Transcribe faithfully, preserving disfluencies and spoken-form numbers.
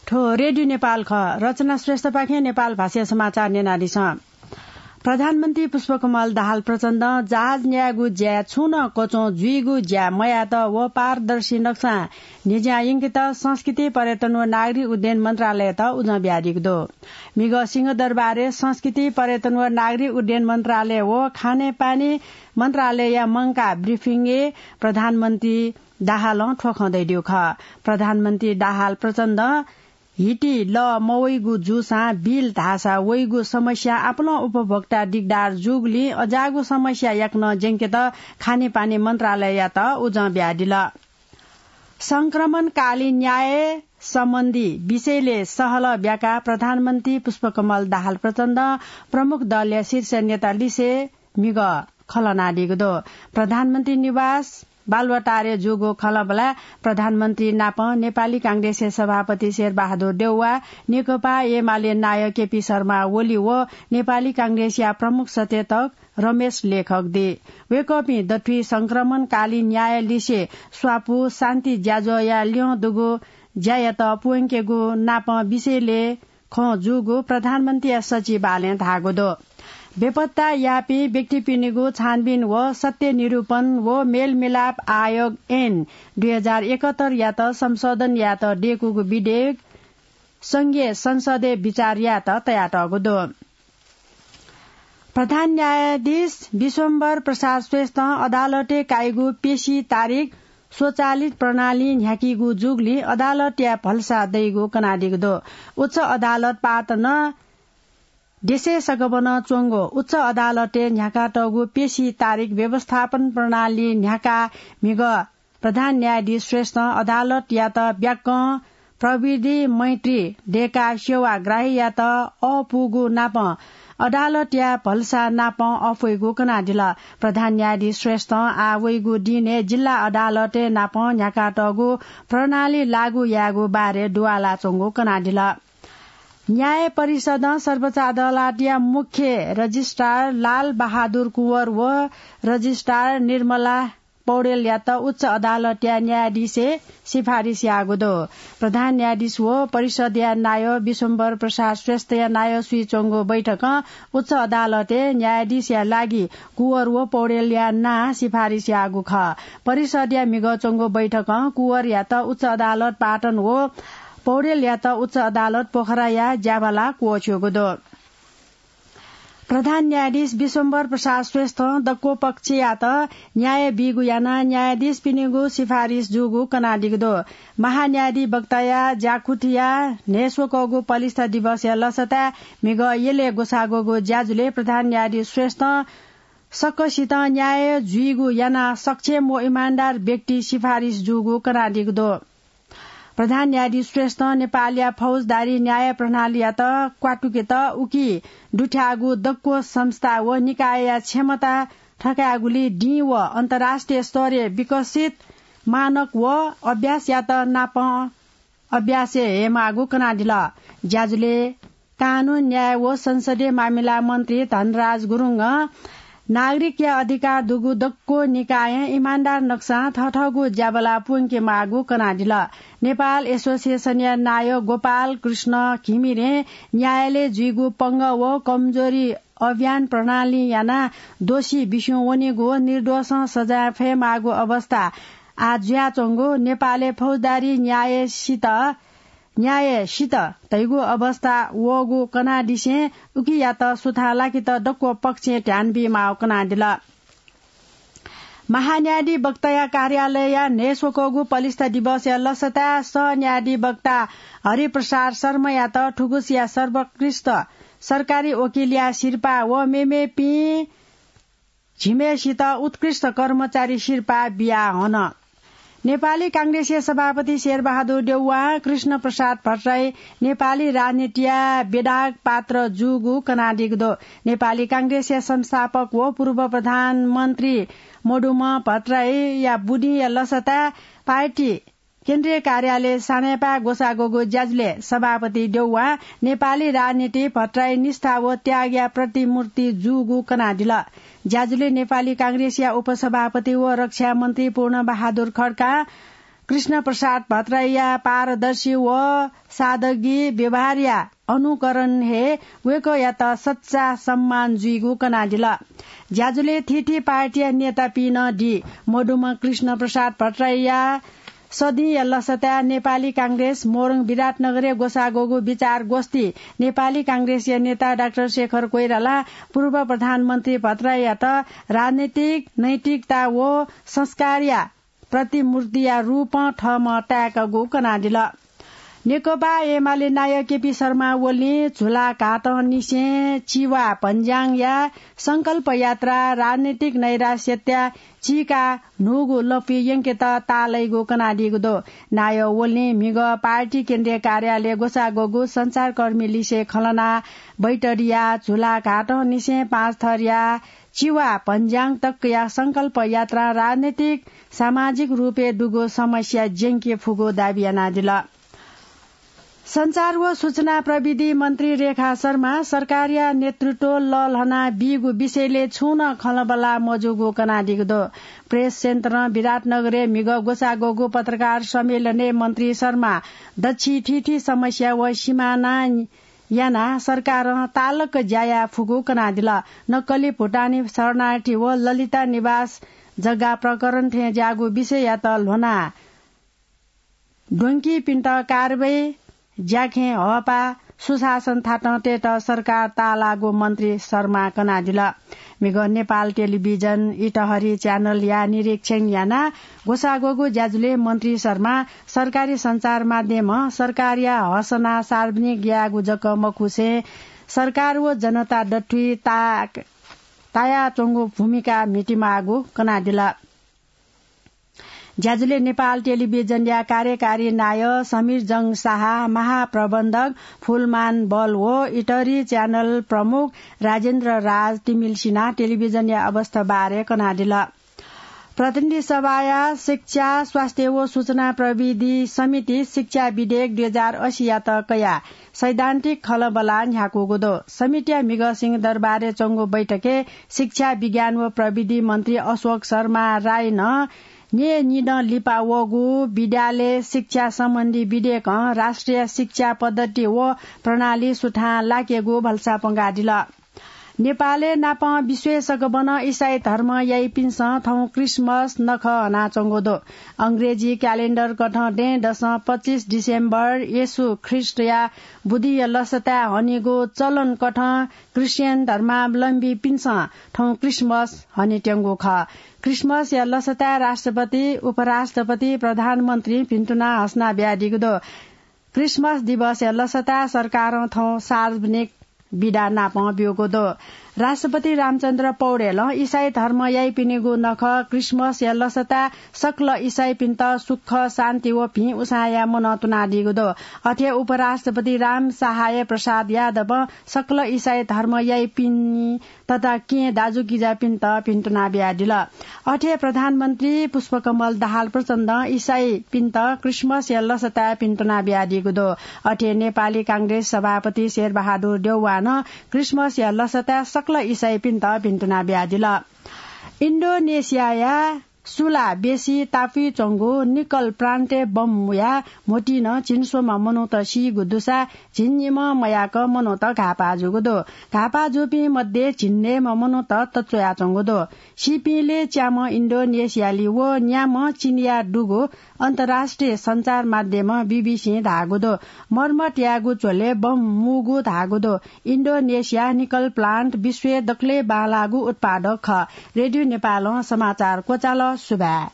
थ्व रेडियो नेपाल खः। रचना श्रेष्ठपाखें नेपाल भाषाया समाचार न्यनादिसँ। प्रधानमन्त्री पुष्पकमल दाहाल प्रचण्डं जहाज न्यायेगु ज्याय् छुं नं कच्वं जुइगु ज्या मयायेत व पारदर्शी नक्सां न्हिज्यां यंकेत संस्कृति, पर्यटन व नागरिक उड्डयन मन्त्रालययात उजं बियादीगु दु। म्हिगः सिंहदरबारय् संस्कृति, पर्यटन व नागरिक उड्डयन मन्त्रालय व खानेपानी मन्त्रालयया मंकाः ब्रिफिङय् प्रधानमन्त्री दाहालं थ्व खँ धयादीगु खः। प्रधानमन्त्री दाहाल प्रचण्डं हिति लः मवइगु जूसां बिल धाःसा वइगु समस्या आपालं उपभोक्ता दिगदार जूगुलिं अज्याःगु समस्या याकनं ज्यंकेत खानेपानी मन्त्रालययात उजं बियादिल। संक्रमणकालीन न्याय सम्बन्धी विषयलय् सहलह ब्याकाः प्रधानमन्त्री पुष्पकमल दाहाल प्रचण्डं प्रमुख दलया शीर्ष नेता लिसे म्हिगः खँ ल्हानादीगु दु। प्रधानमन्त्री निवास बालुवाटारय् जूगु खँल्हाबल्हाय् प्रधानमन्त्री नाप नेपाली कांग्रेसया सभापति शेरबहादुर देउवा, नेकपा एमाले नायः केपी शर्मा ओली व नेपाली कांग्रेसया प्रमुख सचेतक रमेश लेखक दइ। वय्कःपिं दथुइ संक्रमणकालीन न्याय लिसे स्वापू, शान्ति ज्याझ्वःया ल्यं दुगु ज्यायात पूवंकेगु नाप विषयलय् खँ जूगु प्रधानमन्त्रीया सचिवालयं धाःगु दु। बेपत्ता याःपिं व्यक्तिपिनिगु छानबिन व सत्य निरूपण व मेलमिलाप आयोग ऐन दुई हजार एकहत्तरयात संशोधन यायेत दय्कूगु विधेयक संघीय संसदय् बिचार यायेत तयातःगु दु। प्रधान न्यायाधीश विश्वम्भर प्रसाद श्रेष्ठं अदालतय् काइगु पेशी तारिख स्वचालित प्रणालीं न्ह्याकीगु जूगुलिं अदालतया भलसा दइगु कनादीगु दु। उच्च अदालत पाटनं देशय् सकभनं च्वंगु उच्च अदालतय् न्ह्याकातःगु पेशी तारिख व्यवस्थापन प्रणाली न्ह्याकाः म्हिगः प्रधान न्यायाधीश श्रेष्ठं अदालतयात ब्याकं प्रविधि मैत्री दय्काः सेवाग्राहीयात अःपूगु नापं अदालतया भलसा नापं अःपुइगु कनादिल। प्रधान न्यायाधीश श्रेष्ठं आः वइगु दिनय् जिल्ला अदालतय् नापं न्ह्याकातःगु प्रणाली लागू यायेगु बारे दुवालाच्वंगु कनादिल। न्याय परिषदं सर्वोच्च अदालतया मुख्य रजिस्ट्रार लाल बहादुर कुँवर व रजिस्ट्रार निर्मला पौडेलयात उच्च अदालतया न्यायाधीशय् सिफारिस याःगु दु। प्रधान न्यायाधीश व परिषदया नायः विश्वम्भर प्रसाद श्रेष्ठया नायःसुइ च्वंगु बैठकं उच्च अदालतय् न्यायाधीशया लागि कुँवर व पौडेलया नां सिफारिस याःगु खः। परिषदया म्हिगः च्वंगु बैठकं कुँवरयात उच्च अदालत पाटन व पौडेलयात उच्च अदालत पोखराया ज्याबाला क्वःछ्यूगु दु। प्रधान न्यायाधीश विश्वम्भर प्रसाद श्रेष्ठं दक्व पक्षयात न्याय बीगु यानाः न्यायाधीशपिनिगु सिफारिस जूगु कनादीगु दु। महान्यायाधिवक्ताया ज्याकुथिया न्हय्स्वकःगु पलिस्था दिवसया लसताय् म्हिगः यलय् ग्वसाः ग्वःगु ज्याझ्वलय् प्रधान न्यायाधीश श्रेष्ठं सकसितं न्याय जुइगु यानाः सक्षम व इमानदार व्यक्ति सिफारिस जूगु कनादीगु दु। प्रधान न्यायाधीश श्रेष्ठं नेपालया फौजदारी न्याय प्रणालीयात क्वातुकेत उकी दुथ्याःगु दक्व संस्था व निकायया क्षमता थकायेगुली दिं व अन्तर्राष्ट्रिय स्तरय् विकसित मानक व अभ्यासयात नापं अभ्यासय् हयेमाःगु कनादिल। ज्याझ्वलय् कानून, न्याय व संसदीय मामिला मन्त्री धनराज गुरुङं नागरिकया अधिकार दुगु दक्व निकायं इमानदार नक्सां थःथःगु ज्याबला प्वंकेमाःगु कनादिल। नेपाल एसोसिएसनया नायः गोपाल कृष्ण घिमिरें न्यायालय जुइगु पंगः व कमजोरी अभियान प्रणाली यानाः दोषी बिस्युं वनीगु व निर्दोषं सजाय फयेमाःगु अवस्था आः जुयाच्वंगु नेपालय् फौजदारी न्याय सित न्याय सित धइगु अवस्था वःगु कनादिसें उकियात सुथां लाकेत दक्व पक्षं ध्यान बीमाःगु कनादिल। महान्यायाधिवक्ताया कार्यालयया न्हय्स्वकःगु पलिस्था दिवसया लसताय् सह न्यायाधिवक्ता हरिप्रसाद शर्मायात थुगुसिया सर्वोत्कृष्ट सरकारी वकिलया सिरपाः व मेमेपिं झिम्हेसित उत्कृष्ट कर्मचारी सिरपाः बिया हन। नेपाली कांग्रेसया सभापति शेरबहादुर देउवां कृष्ण प्रसाद भट्टराई नेपाली राजनीतिया विधायक पात्र जूगु कनादीगु दु। नेपाली कांग्रेसया संस्थापक व पूर्व प्रधानमन्त्री मदुम्ह भट्टराईया बुदिंया लसताय् पार्टी केन्द्रीय कार्यालय सानेपाय् ग्वसाः ग्वःगु ज्याझ्वलय् सभापति देउवां नेपाली राजनीति भट्टराई निष्ठा व त्यागया प्रतिमूर्ति जूगु कनादिल। ज्याझ्वलय् नेपाली कांग्रेसया उपसभापति व रक्षा मन्त्री पूर्णबहादुर खड्कां कृष्ण प्रसाद भट्टराईया पारदर्शी व सादगी व्यवहारया अनुकरण हे वय्कःयात सच्चा सम्मान जुइगु कनादिल। ज्याझ्वलय् थीथी पार्टीया नेतापिं नं दी। मदुम्ह कृष्ण प्रसाद भट्टराईया सदिंया लसताय् नेपाली कांग्रेस मोरङ विराटनगरय् ग्वसाः ग्वःगु विचार गोष्ठी नेपाली कांग्रेसया नेता डाक्टर शेखर कोइरालां पूर्व प्रधानमन्त्री भट्टराईयात राजनैतिक नैतिकता व संस्कारया प्रतिमूर्तिया रूपं थःम्हं ताय्कागु कनादिल। नेकपा एमाले नायः केपी शर्मा ओलीं झुला घाटंनिसें चिवा भन्ज्याङया संकल्प यात्रा राजनैतिक नैराश्यता चीकाः न्हूगु लँपुइ यंकेत ताःलाइगु कनादीगु दु। नायः ओलीं म्हिगः पार्टी केन्द्रीय कार्यालय ग्वसाः ग्वःगु सञ्चारकर्मी लिसे खँल्हाना बैतडीया झुला घाटंनिसें पाँचथरया चिवा भन्ज्याङ तकया संकल्प यात्रां राजनैतिक सामाजिक रूपय् दुगु समस्या ज्यंके फुगु दाबी यानादिल। सञ्चार व सूचना प्रविधि मन्त्री रेखा शर्मा सरकारया नेतृत्व लःल्हाना बीगु विषयले छुं नं खँल्हाबल्हा मजूगु कनादीगु दु। प्रेस सेन्टरं विराटनगरय् म्हिगः ग्वसाः ग्वःगु पत्रकार सम्मेलनय् मन्त्री शर्मा दच्छि थीथी समस्या व सिमाना यानाः सरकारं तालक ज्या याये फुगु कनादिल। नक्कली भुटानी शरणार्थी व ललिता निवास जग्गा प्रकरण थें ज्याःगु विषययात ल्ह्वनाः द्वंकीपिन्त कारवाही ज्याखें हःपाः सुशासन थातं तयेत सरकार ताःलाःगु मन्त्री शर्मा कनादिल। म्हिगः नेपाल टेलिभिजन इटहरी च्यानलया निरीक्षण यानाः ग्वसाः ग्वःगु ज्याझ्वलय् मन्त्री शर्मा सरकारी सञ्चार माध्यमं सरकारया हसना सार्वजनिक यायेगु जक मखुसें सरकार व जनता दथुइ ता-, तायाच्वंगु भूमिका म्हितीमाःगु कनादिल। ज्याझ्वलय् नेपाल टेलिभिजनया कार्यकारी नायः समीर जंग साहा, महाप्रबन्धक फुलमान बल व इटहरी च्यानल प्रमुख राजेन्द्र राज तिमिल्सिनां टेलिभिजनया अवस्था बारे कनादिल। प्रतिनिधि सभाया शिक्षा, स्वास्थ्य व सूचना प्रविधि समितिं शिक्षा विधेयक दुई हजार अस्सीयात कयाः सैद्धान्तिक खँल्हाबल्हा न्ह्याकूगु दु। समितिया म्हिगः सिंहदरबारय् च्वंगु बैठकय् शिक्षा, विज्ञान व प्रविधि मन्त्री अशोक शर्मा रायनं न्यय्निदँ लिपा वःगु विद्यालय शिक्षा सम्बन्धी विधेयकं राष्ट्रिय शिक्षा पद्धति व प्रणाली सुथां लाकेगु भलसा प्वंकादिल। नेपालय् नापं विश्वय् सकबनं इसाई धर्म याइपिन्सं थौं क्रिसमस नखः हनाच्वंगु दु। अंग्रेजी क्यालेण्डर कथं दँय्‌दसं पच्चिस डिसेम्बर येशू ख्रीष्टया बुदिंया लसताय् हनीगु चलन कथं क्रिश्चियन धर्मावलम्बीपिन्सं थौं क्रिसमस हनेत्यंगु खः। क्रिसमसया लसताय् राष्ट्रपति, उपराष्ट्रपति, प्रधानमन्त्रीं भिन्तुना हसना बियादीगु दु। क्रिसमस दिवसया लसताय् सरकारं थौं सार्वजनिक बिदा नापं ब्यूगु दु। राष्ट्रपति रामचन्द्र पौडेलं इसाई धर्म याइपिनिगु नखः क्रिसमसया लसताय् सकल इसाईपिन्त सुख, शान्ति व भिं उसाँय्‌या मनंतुनादीगु दु। अथे उपराष्ट्रपति राम सहाय प्रसाद यादवं सकल इसाई धर्म याइपिनि तथा केहेँ दाजुकिजापिन्त भिन्तुना बियादिल। अथे प्रधानमन्त्री पुष्पकमल दाहाल प्रचण्डं इसाईपिन्त क्रिसमसया लसताय् भिन्तुना बियादीगु दु। अथे नेपाली कांग्रेस सभापति शेरबहादुर देउवानं क्रिसमसया लसताय् सकल इसाईपिन्त भिन्तुना बियादिल। इन्डोनेसियाया सुलाबेसी टापुइ च्वंगु निकल प्रान्तय् बम मुयाः म्होतिं नं झिंस्वम्ह मनूत सीगु दुसा झिंनिम्ह मयाक मनूत घाःपाः जूगु दु। घाःपाः जूपिं मध्ये झिंन्हय्‌म्ह मनूत तच्वयाच्वंगु दु। सीपिंलय् च्याम्ह इन्डोनेसियाली व न्याम्ह चीनया दुगु अन्तर्राष्ट्रिय सञ्चार माध्यमं बीबीसीं धाःगु दु। मर्मत यायेगु झ्वलय् बम मुगु धाःगु दु। इन्डोनेसिया निकल प्लान्ट विश्वय् दकलय् बांलाःगु उत्पादक खः। रेडियो नेपालं समाचार क्वचाल। सुभाय्।